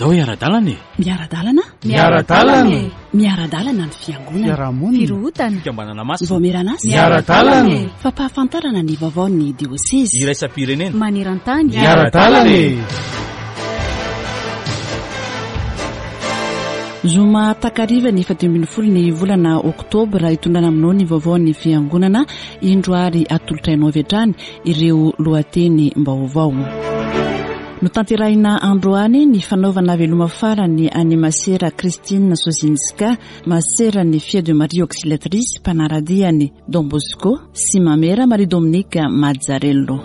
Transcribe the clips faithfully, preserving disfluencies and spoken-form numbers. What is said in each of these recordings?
Andao hiara-dalana e. Miara-dalana? Miara-dalana e. Miara-dalana ny fiangonana. Fiarahamonina. Firohotana. Fikambanana masina. Vaomieran'asa. Miara-dalana e. Fampahafantarana ny vaovaon'ny diosezy. Iraisam-pirenena. Maneran-tany. Miara-dalana e. Zoma takariva ny faha dimy ambin'ny folo ny volana oktobra hitondrana aminao ny vaovaon'ny fiangonana, indro ary atolotra anao avy hatrany ireo lohateny vaovao. Notanterahina androany ny fanaovana veloma farany an'i Masera Christine Sozinska, maseran'ny Filles de Marie Auxiliatrice, mpanara-dian'i Don Bosco sy Mamera Marie Dominique Mazzarello.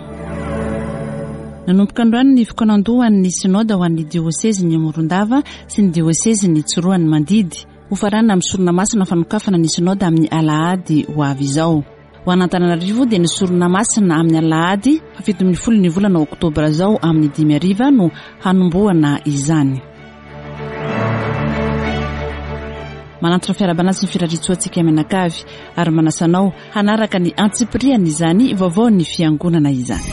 Nanomboka androany ny fikaonandohan'ny synoda ho an'ny diosezin'ny Morondava sy ny diosezin'ny Tsiroanomandidy. Hofaranana amin'ny sorona masina fanokafana ny synoda amin'ny alahady ho avy izao. Ho an'Antananarivo dia ny sorona masina amin'ny alahady fahafito ambin'ny folo ny volana oktobra izao amin'ny dimy hariva no hanombohana izany. Manantona fiarahabana sy ny firariantsoantsika mianakavy ary manasa anao hanaraka ny antsipiriany izany vaovaon'ny fiangonana izany.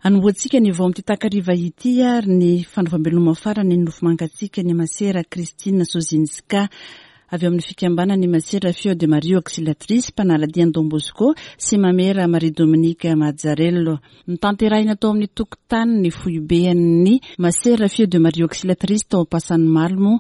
Anombohantsika ny vao amin'ity takariva ity ary ny fanaovam-beloma farany ny nofo mangatsiaka ny Masera Christine Sozinska avy amin'ny fikambanan'ny Masera Filles de Marie Auxiliatrice, mpanara-dian'i Don Bosco sy Mamera Marie Dominique Mazzarello. Notanterahina tao amin'ny tokotany ny foiben'ny Masera Filles de Marie Auxiliatrice tao Ampasanimalo moa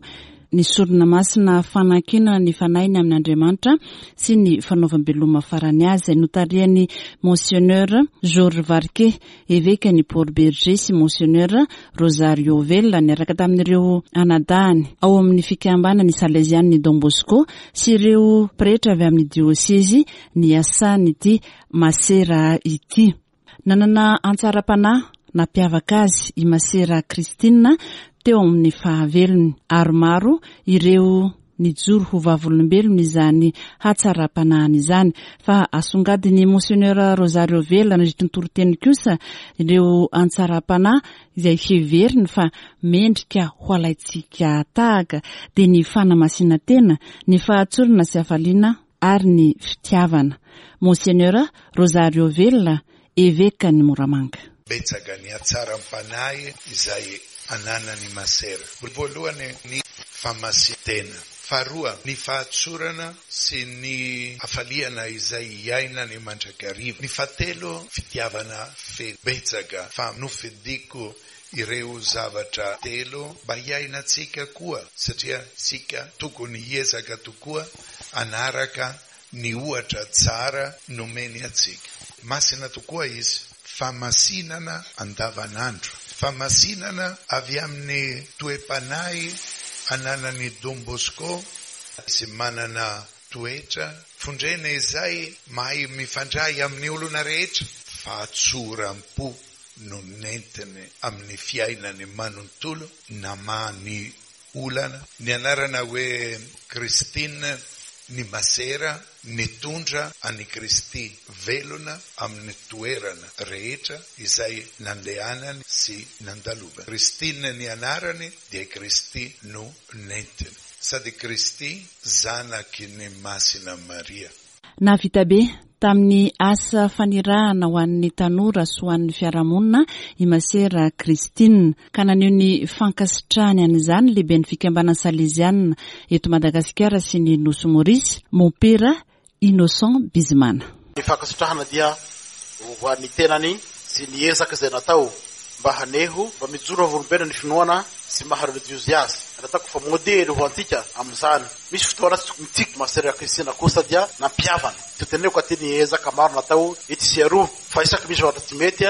ny sorona masina fanankinana ny fanahiny amin'Andriamanitra sy ny fanaovam-beloma farany azy, izay notarihan'ny Monseigneur Georges Varquet, evekan'i Port Bergé, sy Monseigneur Rosario Vella, niaraka tamin'ireo anadahany ao amin'ny fikambanan'ny Salesian'ny Don Bosco sy ireo pretra avy amin'ny diosezy niasan'ity Masera ity. Nanana antsaram-panahy nampiavaka azy i Masera Christine teo amin'ny fahavelony, ary maro ireo nijoro ho vavolombelona izany hatsaram-panahiny izany. Fa asongadin'ny Monseigneur Rosario Vella nandritra ny toriteny kosa ireo antsaram-panahy izay heveriny fa mendrika ho alaintsika tahaka, dia ny fanamasinana-tena, ny fahatsorana sy hafaliana ary ny fitiavana. Monseigneur Rosario Vella, evekan'i Moramanga. Betsaka ny hatsaram-panahy izay ananan'ny Masera. Voalohany ny famasin-tena, faharoa ny fahatsorana sy ny hafaliana izay iainany mandrakariva, ny fahatelo fitiavana feno. Betsaka fa nofidiko ireo zavatra telo mba hiainantsika koa, satria isika tokony hiezaka tokoa hanaraka ny ohatra tsara nomeny antsika. Masina tokoa izy, famasinana andavanandro, famasinana avy amin'ny toe-panahy ananan'i Don Bosco, sy manana toetra fondrena izay mahay mifandray amin'ny olona rehetra. Fahatsoram-po no nentiny amin'ny fiainany manontolo, namaha ny olana. Ny anarana hoe Christine ny Masera nitondra an'i Kristy velona amin'ny toerana rehetra izay nandehanany sy nandalovany. Christine ny anarany dia Kristy no nentiny, sady Kristy zanaky ny Masina Maria. Nahavita be tamin'ny asa fanirahana ho an'ny tanora sy ho an'ny fiarahamonina i Masera Christine, ka naneho ny fankasitrahany an'izany lehiben'ny fikambanana Salesianina eto Madagasikara sy ny Nosy Maurice, Mompera Innocent Bizimana. Ny fankasitrahana dia ho an'ny tenany sy ny ezaka izay natao mba haneho mba mijoro vavolombelona ny finoana sy maha religiozy azy. Nataoko fa modely ho antsika amin'izany. Misy fotoana tsy mitsiky Masera Christine kosa dia nampiavana. Toteneko aty ny ezaka maro natao etsy sy aroa, fa isaky misy zavatra tsy mety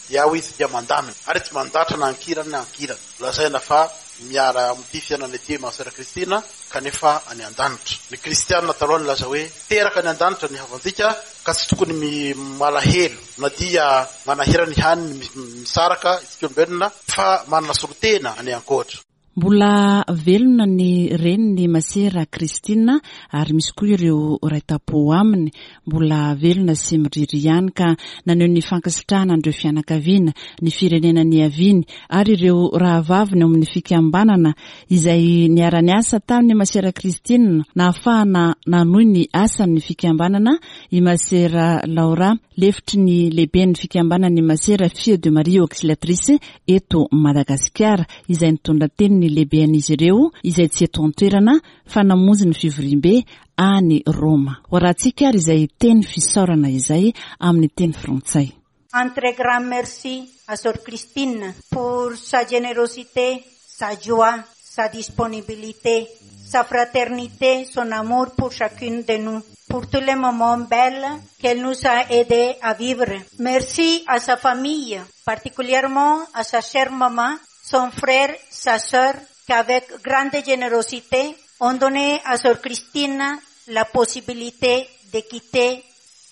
dia ao izy dia mandamina, ary tsy mandatra na ankilany na ankilany. Lazaina fa miala amin'ity fiainana ity Masera Christine kanefa any an-danitra. Ny kristianina taloha nilaza hoe teraka any an-danitra ny havantsika, ka tsy tokony malahelo na dia manahirana ihany ny misaraka isika olombelona, fa manana solontena any ankoatra. Mbola velona ny reniny Masera Christine ary misy koa ireo ray tampo aminy mbola velona sy miriry ihany, ka naneho ny fankasitrahana an'ireo fianakaviana, ny firenena niaviany ary ireo rahavaviny ao amin'ny fikambanana izay niara-niasa tamin'ny Masera Christine nahafahana nanohy ny asan'ny fikambanana i Masera Laura, lefitry ny lehiben'ny fikambanan'ny Masera Fille de Marie Auxiliatrice eto Madagasikara, izay nitondra teny ny lehiben'izy ireo izay tsy eto an-toerana fa namonjy ny fivoriambe any Roma. Ho arahantsika ary izay teny fisaorana izay amin'ny teny frantsay. Un très grand merci à Sœur Christine pour sa générosité, sa joie, sa disponibilité, sa fraternité, son amour pour chacune de nous, pour tous les moments belles qu'elle nous a aidés à vivre. Merci à sa famille, particulièrement à sa chère maman, son frère, sa sœur, qu'avec grande générosité ont donné à Sœur Christine la possibilité de quitter.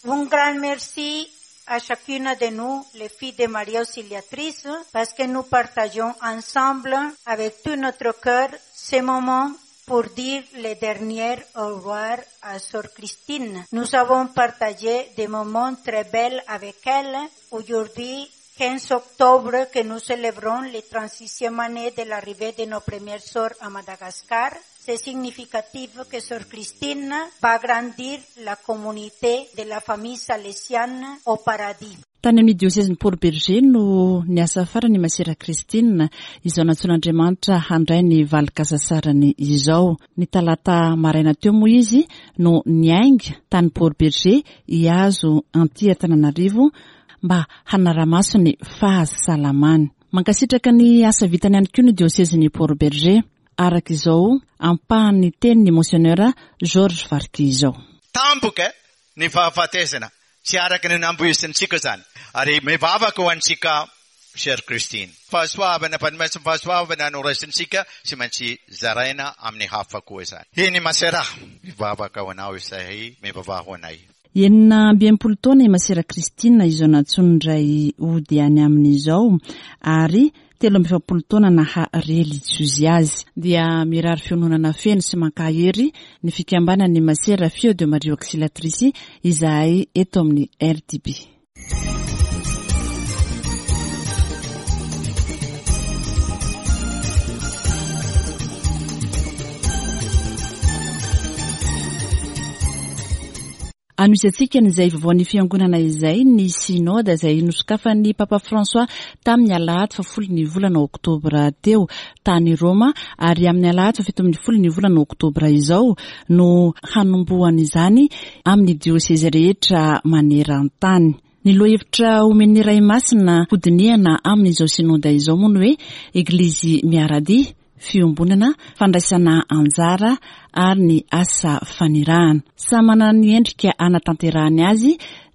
Un grand merci à chacune de nous, les filles de Marie Auxiliatrice, parce que nous partageons ensemble, avec tout notre cœur, ces moments pour dire les derniers au revoir à Sœur Christine. Nous avons partagé des moments très belles avec elle. Aujourd'hui, quinze octobre, que nous célébrons les trente-sixième année de l'arrivée de nos premières sœurs à Madagascar. C'est significatif que Sœur Christine va grandir la communauté de la famille salésienne au paradis. Tany amin'ny diosezin'ny Port Bergé no niasa farany Masera Christine izao nantsoin'Andriamanitra handray ny valin-kasasarany izao. Ny talata maraina teo moa izy no niainga tany Port Bergé hiazo anty Antananarivo mba hanara-maso ny fahasalamany. Mankasitraka ny asa vitany ihany koa ny diosezin'ny Port Bergé, araka izao ampahan'ny tenin'ny Monseigneur Georges Varki izao. Tampoka ny fahafatesana, tsy araka ny nampoizintsika zany, ary mivavaka ho antsika Sœur Christine. Fahasoavana, fanomezana fahasoavana no raisintsika, tsy maintsy zaraina amin'ny hafa koa izany. Eny Masera, mivavaka ho anao izahay, mivavaha ho anay. Enina amby enimpolo taona i Masera Christine izao nantsoin-dray hody any amin'izao, ary telo amby efapolo taona naha relijiozy azy. Dia mirary fiononana feno sy mankahery ny fikambanan'ny Masera Fille de Marie Auxiliatrice izahay eto amin'ny R T B. Anohizantsika an'izay vaovaon'ny fiangonana izay ny synode izay nosokafan'ny Papa François tamin'ny alahady fahafolo ny volana oktobra teo tany Roma, ary amin'ny alahady fahafito ambin'ny folo ny volana oktobra izao no hanombohan'izany amin'ny diosezy rehetra maneran-tany. Ny lohahevitra omen'ny Ray Masina hodinihana amin'izao synode izao moa ny hoe Eglizy miara-dia, fiombonana, fandraisana anjara ary ny asa fanirahana. Samy manana ny endrika anatanterahany azy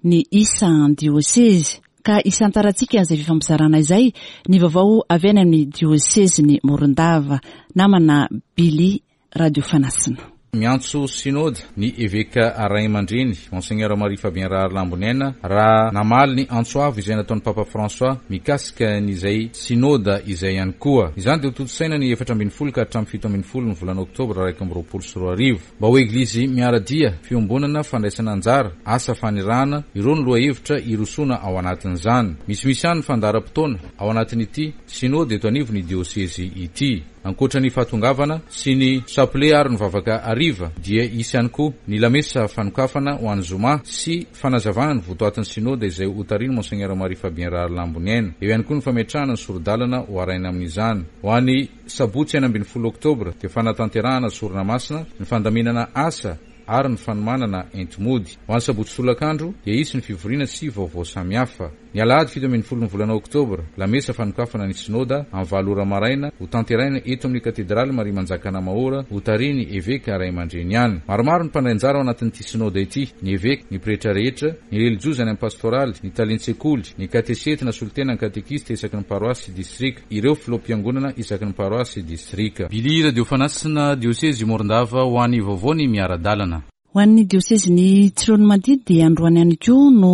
ny isan-diosezy, ka isantarantsika izay fifampizarana izay ny vaovao avy any amin'ny diosezin'ny Morondava. Namana Billy Radio Fanasina. Miantso synode ny eveka ray aman-dreny Monseigneur Marie Fabien Raharlamboniaina raha namaly ny antso avo izay nataon'ny Papa François mikasika an'izay synode izay ihany koa. Izany dia ho tontosaina ny efatra ambin'ny folo ka hatramin'ny fito ambin'ny folo ny volana oktobra iraika amby roapolo sy roa arivo. Mba ho eglizy miara-dia, fiombonana, fandraisana anjara, asa fanirahana, ireo ny lohahevitra hirosoana ao anatin'izany. Misimisy ihany ny fandaharam-potoana ao anatin'ity synode eto anivon'ny diosezy ity. Ankoatra ny fahatongavana sy ny chapelet ary ny vavaka hariva dia hisy ihany koa ny lamesa fanokafana ho an'ny zoma sy fanazavana ny votoatin'ny synode izay hotarihin'ny Monseigneur Marie Fabien Raharlamboniaina. Eo ihany koa ny fametrahana ny sori-dalana ho araina amin'izany. Ho an'ny sabotsy enina ambin'ny folo oktobra dia fanatanterahana sorona masina, ny fandaminana asa ary ny fanomanana enti-mody. Ho an'ny sabotsy tolakandro dia hisy ny fivoriana sy vaovao samihafa. Ny alahady fito ambin'ny folo ny volana oktobra, lamesa fanokafana ny synoda amin'ny valo ora maraina ho tanteraina eto amin'ny katedraly Maria Manjakana Mahora hotarihin'ny eveka ray aman-dreny ihany. Maromaro ny mpandray anjara ao anatin'ity synoda ity: ny eveka, ny pretra rehetra, ny relijiozy any amin'ny pastoraly, ny talen-tsekoly, ny katesety na solontena ny katekista isaky ny paroasy sy distrika, ireo filoham-piangonana isaky ny paroasy sy distrika. Billy Radio Fanasina, diosezy Morondava, ho an'ny vaovao ny miara-dalana. Ho an'ny diosezin'ny Tsiroanomandidy dia androany ihany koa no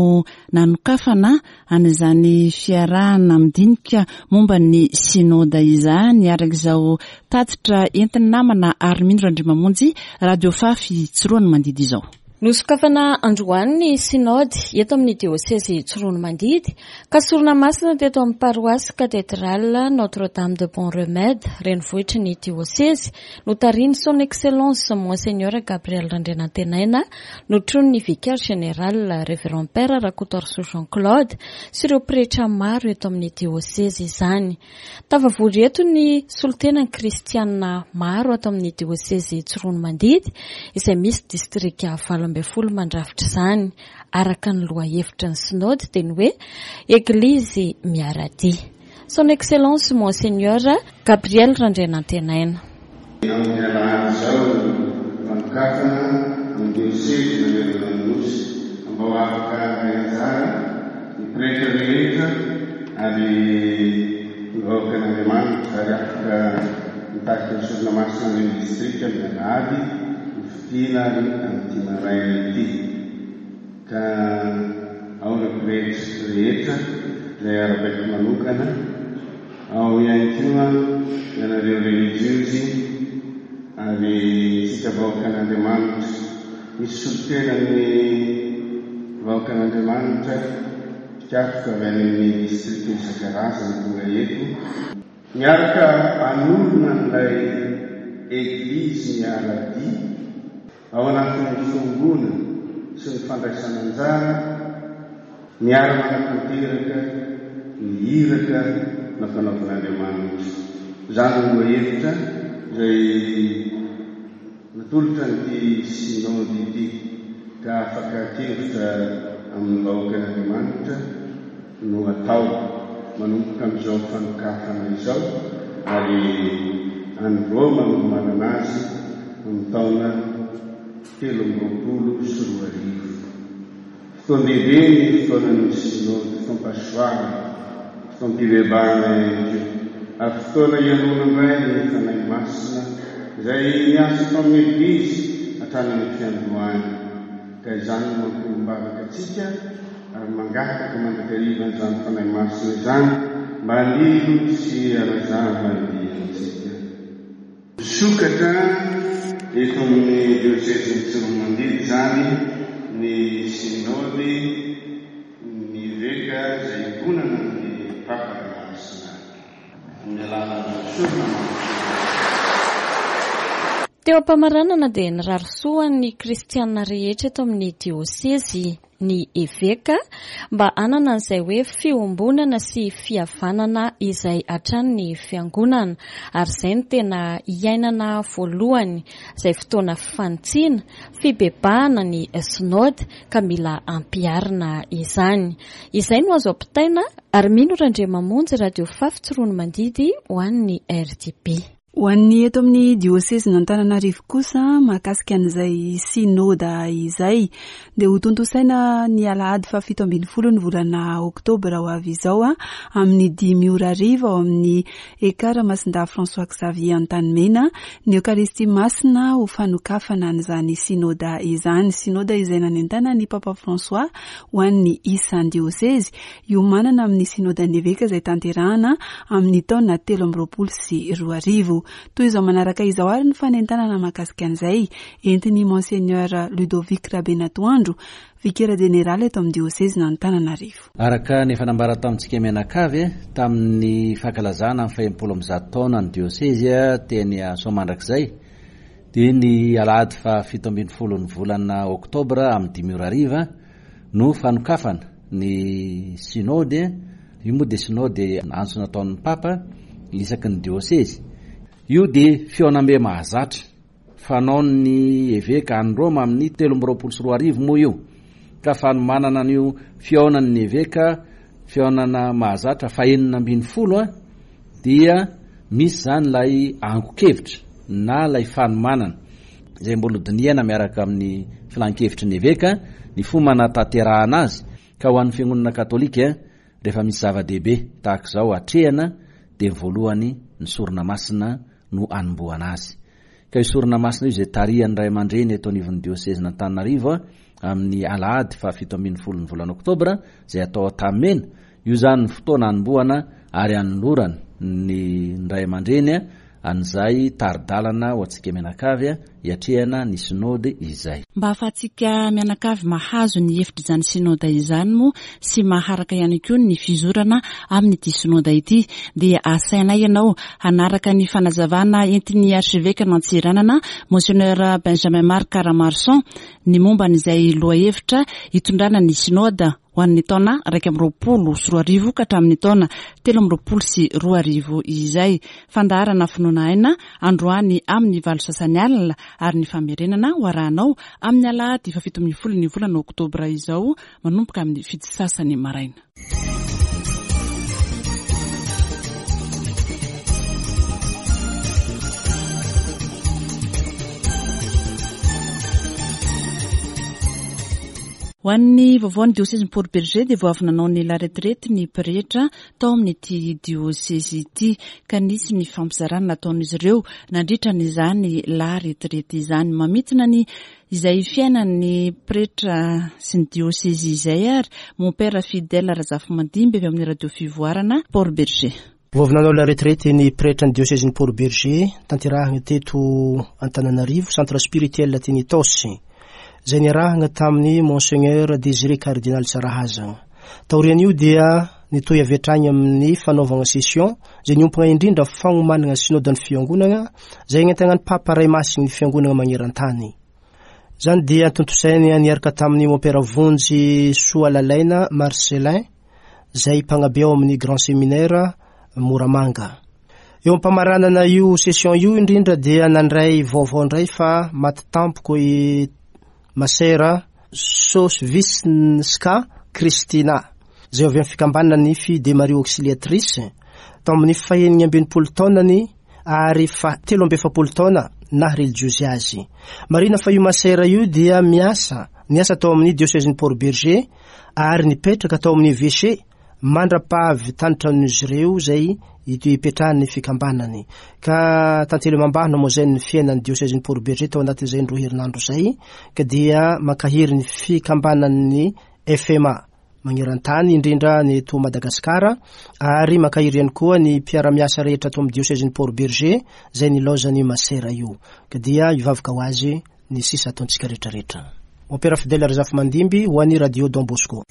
nanokafana an'izany fiarahana midinika momba ny synoda izany, araka izao tatitra entin'ny namana Armino Randriamamonjy, Radio Fafy Tsiroanomandidy izao. Nosokafana androany ny synode eto amin'ny diosezy Tsiroanomandidy ka sorona masina teto amin'ny paroasy cathédrale Notre-Dame de Bon Remède, renivohitry ny diosezy, notarihin'ny Son Excellence Monseigneur Gabriel Randrianantenaina, notronin'ny vicaire général Révérend Père Rakotoarisoa Jean-Claude sy ireo pretra maro eto amin'ny diosezy izany. Tafavory eto ny solontenan'ny kristianina maro ato amin'ny diosezy Tsiroanomandidy izay misy distrika valo ambin'ny folo mandrafitra izany. Araka ny lohahevitra ny synode dia ny hoe Eglizy miara-dia. Son Excellence Monseigneur Gabriel Randrianantenaina. Amin'ny alahady izao fanokafana amin'ny diosezy manerana ny Nosy mba ho afaka handray anjara ny pretra rehetra ary ny vahoakan'Andriamanitra ary afaka mitarika ny sorona masina any amin'ny distrika amin'ny alahady hofidiana ary amin'ity maraina ity. Ka ao ireo pretra rehetra izay arabaiko manokana, ao ihany koa ianareo relijiozy ary tsika vahoakan'Andriamanitra. Misy solontenan'ny vahoakan'Andriamanitra mpikatroka avy any amin'ny distrika isan-karazany tonga eto. Miaraka hanorina an'ilay Eglizy miara-dia ao anatin'ny fiombonana sy ny fandraisana anjara, miara-manatanteraka ny iraka nampanaovin'Andriamanitra. Izany no lohahevitra izay natolotra an'ity synode ity ka fakan-kevitra amin'ny vahoakan'Andriamanitra no atao manomboka amin'izao fanokafana izao ary any Roma no manana azy amin'ny taona telo amby roapolo sy roa arivo. Fotoan-dehibe ny fotoanan'ny synode, fotoam-pahasoavana, fotoam-pibebahana ihany koa, ary fotoana hihainoana indray ny Fanahy Masina izay niasa tao amin'ny Eglizy hatrany amin'ny fiandohany. Ka izany no mampiombom-bavaka antsika ary mangataka mandrakariva an'izany Fanahy Masina izany mba hanilo sy hanazava ny diantsika. Misokatra eto amin'ny diosezin'i Tsiroanomandidy izany ny synode ny eveka izay iombonana amin'ny Papa Masina amin'ny alalan'ny sorona masina. Teo am-pamaranana dia nirary soa ny kristianina rehetra eto amin'ny diosezy ny eveka mba hanana an'izay hoe fiombonana sy fihavanana izay hatrany ny fiangonana, ary izay no tena iainana voalohany, izay fotoana fanitsiana, fibebahana ny synode ka mila ampiharina izany. Izay no azo ampitaina ary mino Randriamamonjy, Radio Fafy Tsiroanomandidy ho an'ny R T B. Ho an'ny eto amin'ny diosezin'Antananarivo kosa mahakasika an'izay synoda izay dia ho tontosaina ny alahady fahafito ambin'ny folo ny volana oktobra ho avy izao a, amin'ny dimy ora hariva ao amin'ny Ekara Masindahy François Xavier Antanimena ny Eokaristia Masina ho fanokafana an'izany synoda izany. Synoda izay nanentana ny Papa François ho an'ny isan-diosezy hiomanana amin'ny synodan'ny eveka izay tanterahana amin'ny taona telo amby roapolo sy roa arivo. Toy izao manaraka izao ary ny fanentanana mahakasika an'izay entin'ny Monseigneur Ludovic Rabenatoandro, vikera jeneraly eto amin'ny diosezin'Antananarivo. Araka ny efa nambara tamintsika mianakavy tamin'ny fankalazana ny fahenimpolo amby zato taona ny diosezy teny Soamandrakizay dia ny alahady fahafito ambin'ny folo ny volana oktobra amin'ny dimy ora hariva no fanokafana ny synode. Io moa dia synode antso nataon'ny Papa isaky ny diosezy. Io dia fihaonambe mahazatra fanaon'ny eveka any Roma amin'ny telo amby roapolo sy roa arivo moa io, ka fanomanana an'io fihaonan'ny eveka fihaonana mahazatra fahenina ambin'ny folo a, dia misy izany ilay angon-kevitra na ilay fanomanana izay mbola hodinihana miaraka amin'ny filan-kevitry ny eveka ny fomba hanatanterahana azy. Ka ho an'ny fiangonana katolika rehefa misy zava-dehibe tahaka izao atrehana dia voalohany ny sorona masina no anombohana azy. Ka io sorona masina io izay tarihan'ny ray aman-dreny eto anivon'ny diosezin'Antananarivo amin'ny alahady fahafito ambin'ny folon'ny volana oktobra izay atao Antanimena. Io izany ny fotoana hanombohana ary hanolorana ny ray aman-dreny an'izay tari-dalana ho antsika mianakavy hiatrehana ny sinody izay. Mba ahafahantsika mianakavy mahazo ny hevitr'izany sinoda izany moa sy maharaka ihany koa ny fizorana amin'ity sinoda ity, dia asainay ianao hanaraka ny fanazavana entin'ny archevêque Antsiranana Monseigneur Benjamin Marc Ramaroson ny momba an'izay lohahevitra hitondrana ny sinoda ho an'ny taona iraika amby roapolo sy roa arivo ka hatramin'ny taona telo amby roapolo sy roa arivo izay. Fandaharana finoana aina androany amin'ny valo sasany alina ary ny famerenana ho arahanao amin'ny alahady fahafito ambin'ny folo ny volana oktobra izao manomboka amin'ny fito sasany maraina. Ho an'ny vaovaon'ny diosezin'i Port Bergé dia vao avy nanao ny la retraite ny pretra tao amin'ity diosezy ity, ka nisy ny fampizarana nataon'izy ireo nandritra n'izany la retraite izany. Mamintina ny izay fiainan'ny pretra sy ny diosezy izay ary mon père Fidèle Razafimandimby avy amin'ny radio Fivoarana Port Bergé. Vao avy nanao la retraite ny pretra ny diosezin'i Port Bergé tanterahina teto Antananarivo, centre spirituel teny Itaosy, izay niarahana tamin'ny Monseigneur Désiré Cardinal Tsarahazana. Taorian'io dia nitohy avy hatrany amin'ny fanaovana session izay niompana indrindra fagnomanana sinodan'ny fiangonana izay nentanan'ny Papa Ray Masin'ny fiangonana maneran-tany. Izany dia tontosainy niaraka tamin'ny Mompera Vonjy Soalalaina Marcelin izay mpanabe ao amin'ny Grand Séminaire Moramanga. Eo am-pamaranana io session io indrindra dia nandray vaovao indray fa maty tampoko i Masera Sosvinska Kristina izay avy amin'ny fikambanana ny Filles de Marie Auxiliatrice tamin'ny fahenina ambin'ny folo taonany ary fa telo amby efapolo taona naha religiozy azy. Marina fa io Masera io dia miasa niasa tao amin'ny diosezin'i Port Bergé ary nipetraka tao amin'ny évêché mandra-pahavitany ireo izay ipetrahan'ny fikambanany. Ka tantely amam-bahana moa izay ny fiainan'ny diosezin'i Port Bergé tao anatin'izay roa herinandro izay, ka dia mankahery ny fikambanan'ny F M A maneran-tany indrindra ny eto Madagasikara ary mankahery ihany koa ny mpiara-miasa rehetra ato amin'ny diosezin'i Port Bergé izay nilaozan'ny Masera io. Ka dia hivavaka ho azy ny sisa ataontsika rehetrarehetra. Mompera Fidèle Razafimandimby ho an'ny Radio Don Bosco.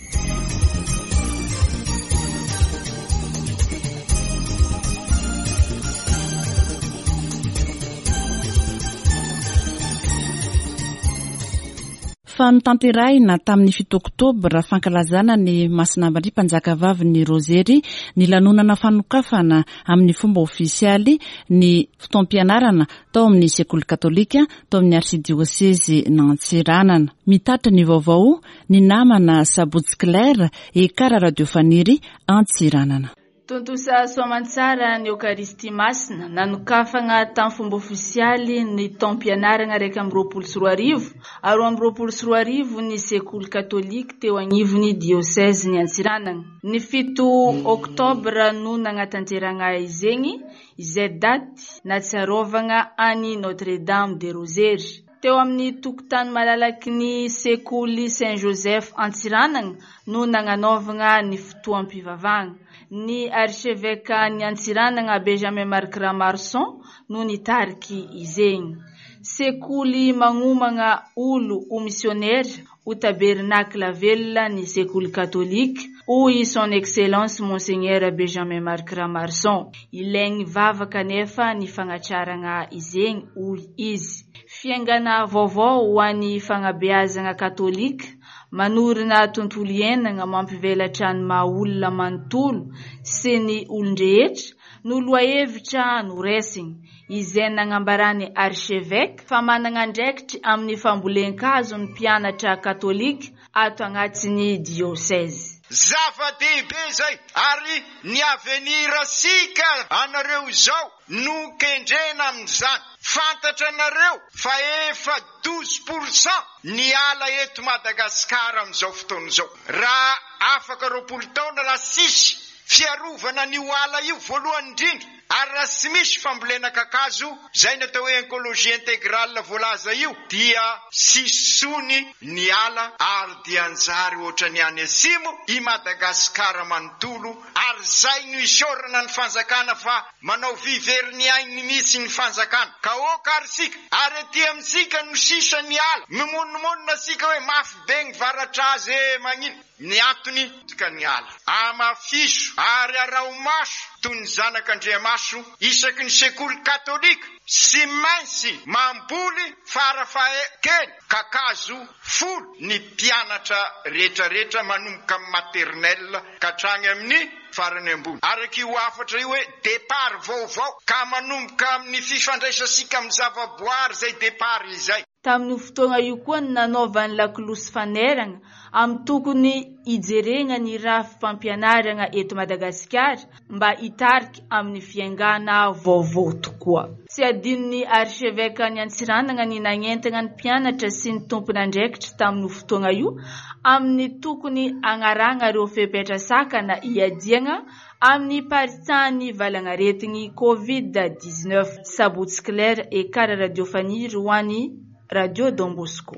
Fa notanterahina tamin'ny fito oktobra fankalazana ny Masina Maria Mpanjakavavin'ny Rozery ny lanonana fanokafana amin'ny fomba ofisialy ny fotoam-pianarana tao amin'ny sekoly katolika tao amin'ny arsidiosezy Antsiranana. Mitatitra ny vaovao ny namana Sabotsy Claire Ekara Radio Faniry Antsiranana. Tontosa soamantsara ny Eokaristia Masina nanokafana tamin'ny fomba ofisialy ny taom-pianarana iraika amby roapolo sy roa arivo ary roa amby roapolo sy roa arivo ny sekoly katolika teo anivon'ny diosezin'i Antsiranana. Ny fito oktobra no nanatanterahana izegny, izay daty nahatsiarovana any Notre Dame de Rosery. Teo amin'ny tokotany malalaky ny sekoly Saint Joseph Antsiranana no nananaovana ny fotoam-pivavahana. Ny archevêque ny Antsiranana Benjamin Marc Ramaroson no nitariky izegny. Sekoly magnomana olo ho missionnaire ho tabernakla velona ny sekoly katolika, hoy son excellence Monseigneur Benjamin Marc Ramaroson. Ilaigny vavaka nefa ny fagnatrarana izegny, hoy izy. Fiaingana vaovao ho an'ny fagnabeazana katolika manorina tontolo iainana mampivelatra ny maha olona manontolo sy ny olon-drehetra no lohahevitra noraisiny, izay nagnambarany archevêque fa manana andraikitra amin'ny fambolen-kazo ny mpianatra katolika ato agnatin'ny diocèse. Zava-dehibe izay ary ny avenir sika anareo izao no kendrena amin'izany. Fantatra anareo fa efa douze pour cent ny ala eto Madagasikara amin'izao fotoana izao. Raha afaka roapolo taona raha sisy fiarovana an'io ala io voalohany indrindra Ary raha tsy misy fambolena kakazo, izay ny atao hoe écologie intégrale voalaza io, dia tsy sony ny ala ary dia anjary ohatrany any atsimo i Madagasikara manontolo. Ary zay no isaorana ny fanjakana fa manao vivery ny ainy mihitsy ny fanjakana. Ka oka ary sika, ary aty amintsika no sisa ny ala, mimonomonona sika hoe mafy be ny varatra azy e magnino. Ny antony ka ny ala. Amafiso ary araho maso toy ny zanak'Andriamaso isaky ny sekoly katolika sy maintsy mamboly farafahekely kakazo folo ny mpianatra rehetrarehetra manomboka amin'ny maternelle ka hatrany amin'ny farany ambony. Araka io hafatra io hoe départ vaovao ka manomboka amin'ny fifandraisantsika amin'ny zavaboary izay départ izay. Tamin'io fotoana io koa ny nanaovan'ny lakolosy fanerana amin'ny tokony hijerena ny rafi-pampianarana eto Madagasikara mba hitarika amin'ny fiaingana vaovao tokoa. Tsy adinon'ny archevêque ny Antsiranana ny nagnentana ny mpianatra sy ny tompon'andraikitra tamin'io fotoana io amin'ny tokony agnarana ireo fepetra sakana iadiana amin'ny paritsahan'ny valanaretin'ny covid dix-neuf. Sabotsy Claire Ekara Radio Fanilo ho an'ny Radio Don Bosco.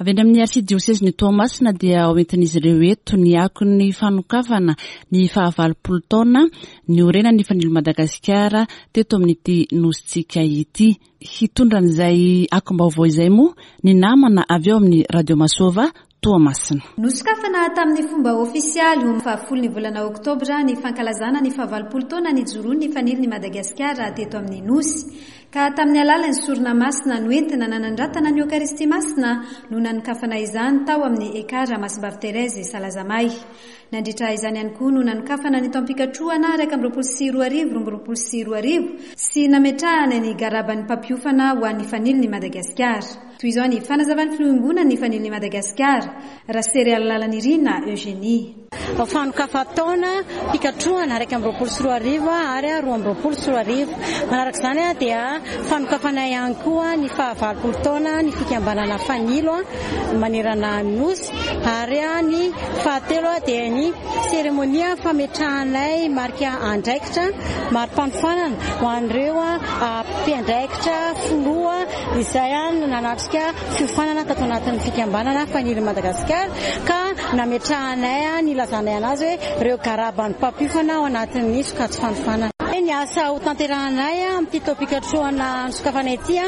Avy any amin'ny arsidiosezin'i Toamasina dia hoentin'izy ireo eto ny akon'ny fanokafana ny fahavalopolo taona niorenan'ny Fanilo Madagasikara teto amin'ity nosintsika ity. Hitondra an'izay akom-baovao izay moa ny namana avy eo amin'ny Radio Masova Toamasina. Nosokafana tamin'ny fomba ofisialy ho fahafolo ny volana oktobra ny fankalazana ny fahavalopolo taona nijoroan'ny Fanilo ny Madagasikara teto amin'ny nosy. Ka tamin'ny alalan'ny sorona masina noentina nanandratana ny Eokaristia masina no nanokafana izany tao amin'ny Ekara Masimbavy Thérèse Salazamay. Nandritra izany ihany koa no nanokafana ny taom-pikatrohana iraika amby roapolo sy roa arivo roa amby roapolo sy roa arivo sy nametrahana ny garaban'ny mpampiofana ho an'ny Fanilo ny Madagasikara. Toy izao ny fanazavan'ny filoham-bonin'ny Fanilo ny Madagasikara, Raserialalanirina Eugénie. Fanokafan-taona fikatrohana iraika amby roapolo sy roa arivo ary roa amby roapolo sy roa arivo. Manaraka izany dia fanokafana ihany koa ny fahavalopolo taona ny fikambanana Fanilo manerana ny nosy, ary ny fahatelo dia ny seremonia fametrahanay marika andraikitra mari-panofanana ho an'ireo mpiandraikitra filoha izay nanatrika fiofanana tato anatin'ny fikambanana Fanilo Madagasikara, ka nametrahanay ny ilazanay anazy hoe ireo garaban'ny mpampiofana ao anatin'ny sokajy fanofanana. Ny asa ho tanterahanay amin'ity taom-pikatrohana nisokafana ity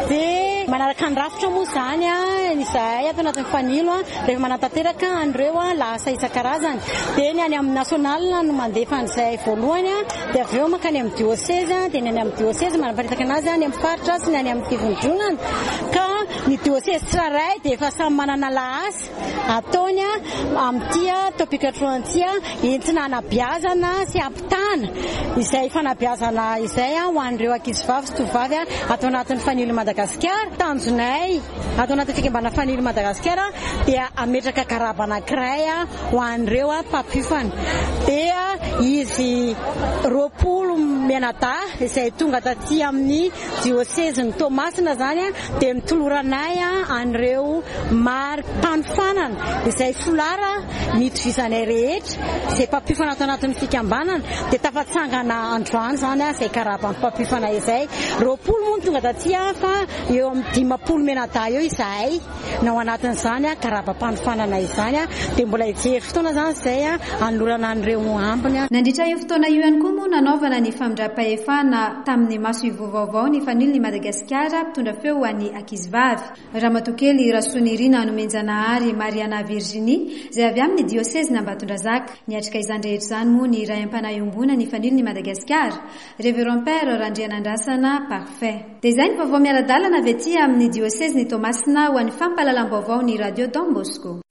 dia manaraka ny rafitra moa izany izahay ato anatin'ny Fanilo rehefa manatanteraka an'ireo lahasa isan-karazany. Dia ny any amin'ny national no mandefa an'izay voalohany, dia avy eo mankany amin'ny diocèse, dia ny any amin'ny diocèse manaparitaka anazy any amin'ny faritra sy ny any amin'ny fivondronana. Ka ny diocèse tsirairay dia efa samy manana lahasa ataony amin'ity taom-pikatrohana ity entina hanabeazana sy hampitana izay fanabeazana izay ho an'ireo ankizivavy sy tovovavy ato anatin'ny Fanilo Madagasikara. Tanjonay ato anatin'ny fikambanana Fanilo Madagasikara dia hametraka garaba anankiray ho an'ireo mpampiofana. Dia izy roapolo mianadahy izay tonga taty amin'ny diosezin'i Toamasina izany dia mitoloranay an'ireo mari-panofanana izay folara nitovizanay rehetra izay mpampiofana ato anatin'ny fikambanana, dia tafatsangana androany izany izay garaban'ny mpampiofana izay. Roapolo moa no tonga taty fa eo amin'ny dimampolo mianadahy eo izahay na ao anatin'izany garabam-panofanana izany, dia mbola hijery fotoana izany izay hanolorana an'ireo ambiny. Nandritra io fotoana io ihany koa moa nanaovana ny famindram-pahefana tamin'ny maso ivoho vaovao ny Fanilo ny Madagasikara mpitondra feo ho an'ny ankizivavy. Ramatoakely Rasonirina Nomenjanahary Mariana Virginie izay avy amin'ny diocèse Ambatondrazaka. Niatrika izany rehetra izany moa ny ray am-panahy iombonana ny Fanilo ny Madagasikara, Révérend Père Randrianandrasana Parfait. Dia izay ny vaovao miara-dalana avy aty amin'ny diocèse ny Toamasina ho an'ny fampahalalam-baovao ny Radio Don Bosco.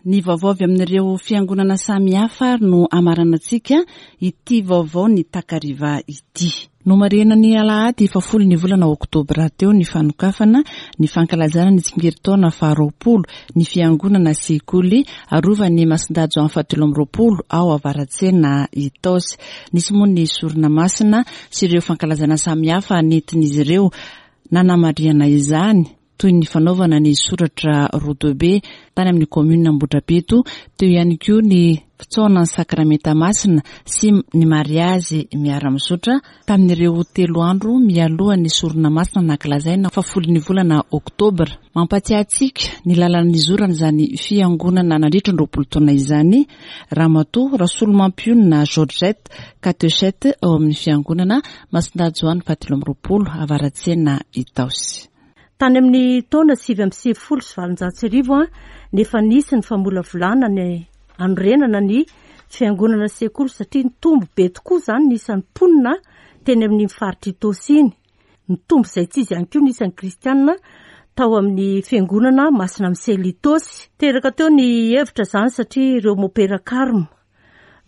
Ny vaovao avy amin'ireo fiangonana samihafa ary no amaranantsika ity vaovao ny takariva ity. Nomarihina ny alahady fahafolo ny volana oktobra teo ny fanokafana ny fankalazana ny tsingerin-taona faharoapolo ny fiangonana sekoly arovan'ny Masindahy Joany fahatelo amby roapolo ao Avaratsena Itaosy. Nisy moa ny sorona masina sy ireo fankalazana samihafa nentin'izy ireo nanamarihana izany, toy ny fanaovana ny soratra rodobe tany amin'ny commune Ambohidrapeto, teo ihany koa ny fitsaona ny sakramenta masina sy ny mariazy miara-mizotra tamin'ireo telo andro mialohan'ny sorona masina nankalazaina fahafolo ny volana oktobra. Mampatsiahy antsika ny lalana nizorana izany fiangonana nandritra ny roapolo taona izany Ramatoa Rasolomampiona Georgette, katechète ao amin'ny fiangonana Masindahy Joany fahatelo amby roapolo Avaratsena Itaosy. Tany amin'ny taona sivy amby sivifolo sy valonjato sy arivo nefa nisy ny famolavolana ny anorenana ny fiangonana sekoly satria nitombo be tokoa izany ny isan'ny mponina teny amin'ny faritra Itaosy iny. Nitombo izay tsy izy ihany koa ny isan'ny kristianina tao amin'ny fiangonana Masina Misely Itaosy. Teraka teo ny hevitra izany satria ireo mopera Karma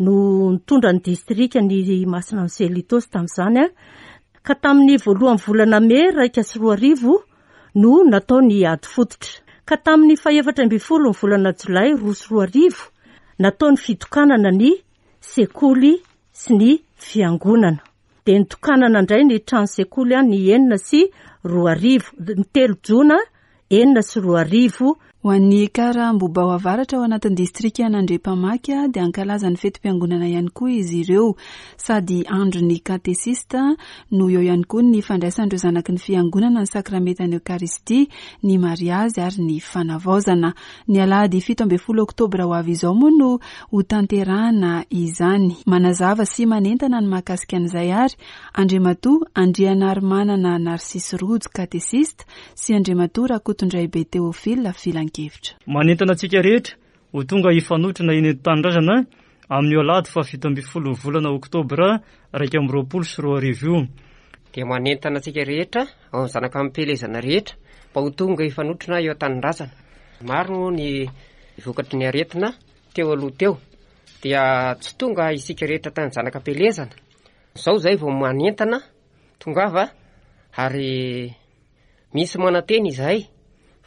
no nitondra ny distrika ny Masina Misely Itaosy tamin'izany. Ka tamin'ny voalohan'ny volana mey iraika sy roa arivo no natao ny ady fototra. Ka tamin'ny fahefatra ambin'ny folo ny volana jolay roa sy roa arivo natao ny fitokanana ny sekoly sy ny fiangonana. Dia nitokanana indray ny trano sekoly ny enina sy roa arivo, ny telo jona enina sy roa arivo. Ho an'ny Ekara Ambohibao Avaratra ao anatin'ny distrika Anandrepamaky dia hankalaza ny fetim-piangonana ihany koa izy ireo. Sady andron'ny katesista no eo ihany koa ny fandraisan'ireo zanaky ny fiangonana ny sakramentan'ny Eokaristia, ny mariazy ary ny fanavaozana. Ny alahady fito ambin'ny folo oktobra ho avy izao moa no ho tanterahana izany. Manazava sy manentana ny mahakasika an'izay ary Andriamatoa Andrianarimanana Narcisse Rojo, katesista, sy Andriamatoa Rakotondraibe Théophile, filankevitra. Manentana antsika rehetra ho tonga hifanotrona eny an-tanindrazana amin'io alahady fahafito ambin'ny folo volana oktobra iraika amby roapolo sy roa arivo io. Dia manentana antsika rehetra ao amin'ny zanaka amim-pielezana rehetra mba ho tonga hifanotrona eo an-tanindrazana. Maro ny vokatry ny aretina teo aloha teo, dia tsy tonga isika rehetra tany zanaka am-pielezana. Izao izay vao manentana tongava, ary misy manantena izahay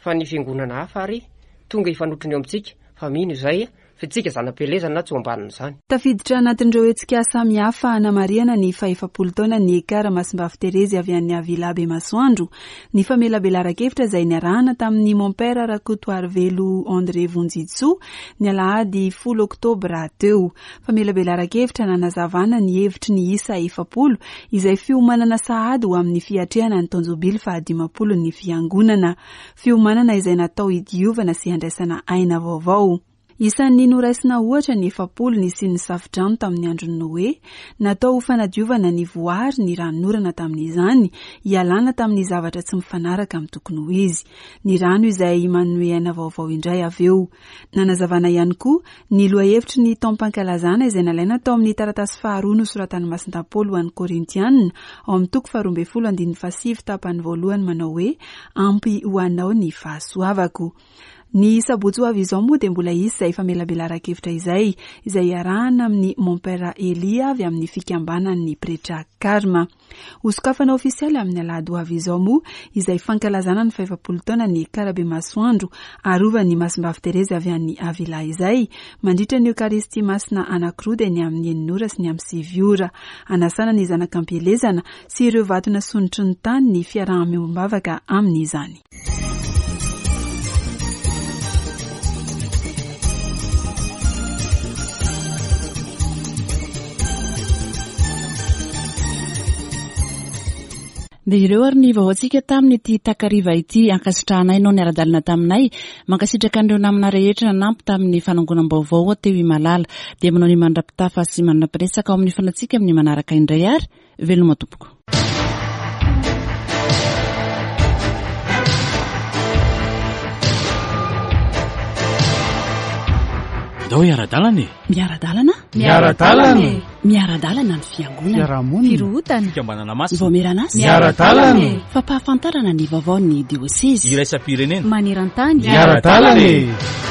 fa ny fiangonana hafa ary tonga hifanotrona eo amintsika, fa mino izahay fa tsika zanam-pielezana tsy ho ambanin'izany. Tafiditra anatin'ireo hetsika samihafa hanamarihana ny fahefapolo taona ny Ekara Masimbavy Terezy avy any Avila Bemasoandro, ny famelabelaran-kevitra izay niarahana tamin'ny Mompera Rakotoarivelo André Vonjitsoa ny alahady folo oktobra teo. Famelabelaran-kevitra nanazavana ny hevitry ny isa efapolo izay fiomanana sahady ho amin'ny fiatrehana ny taon-jobily fahadimampolo ny fiangonana. Fiomanana izay natao hidiovana sy handraisana aina vaovao. Isan'ny noraisina ohatra ny efapolo nisian'ny safodrano tamin'ny andron'ny Noe, natao ho fanadiovana ny voary ny ranonorana tamin'izany, hialana tamin'ny zavatra tsy mifanaraka amin'ny tokony ho izy. Ny rano izay manome aina vaovao indray avy eo. Nanazavana ihany koa ny lohahevitry ny taom-pankalazana izay nalaina tao amin'ny taratasy faharoa nosoratan'ny Masindahy Paoly ho an'ny Korintianina, ao amin'ny toko faharoa ambin'ny folo andininy fahasivy tapany voalohany manao hoe ampy ho anao ny fahasoavako. Ny sabotsy ho avy izao moa dia mbola hisy izay famelabelaran-kevitra izay, izay iarahana amin'ny Mompera Elia avy amin'ny fikambanan'ny pretra Karma. Hosokafana ofisialy amin'ny alahady ho avy izao moa izay fankalazana ny fahefapolo taona ny Karabemasoandro arovan'ny Masimbavy Terezy avy any Avila izay, mandritra ny Eokaristia masina anankiroa dia ny amin'ny enina ora sy ny amin'ny sivy ora. Anasana ny zanak'ampielezana sy ireo vato nasonotry ny tany ny fiaraha-miombom-bavaka amin'izany. Dia ireo ary ny vaovaontsika tamin'ity takariva ity. Ankasitrahanay nao niara-dalana taminay, mankasitraka an'ireo namana rehetra nanampy tamin'ny fanangonam-baovao teo Imalala. Dia manao ny mandra-pitafa sy mandra-piresaka ao amin'ny fanatsika amin'ny manaraka indray ary veloma tompoko. Ndao hiara-dalana e. Miara-dalana? Miara-dalana e. Miara-dalana ny fiangonana. Fiarahamonina. Firohotana. Fikambanana masina. Vaomieran'asa. Miara-dalana e. Fampahafantarana ny vaovaon'ny diosezy. Iraisam-pirenena. Maneran-tany. Miara-dalana e.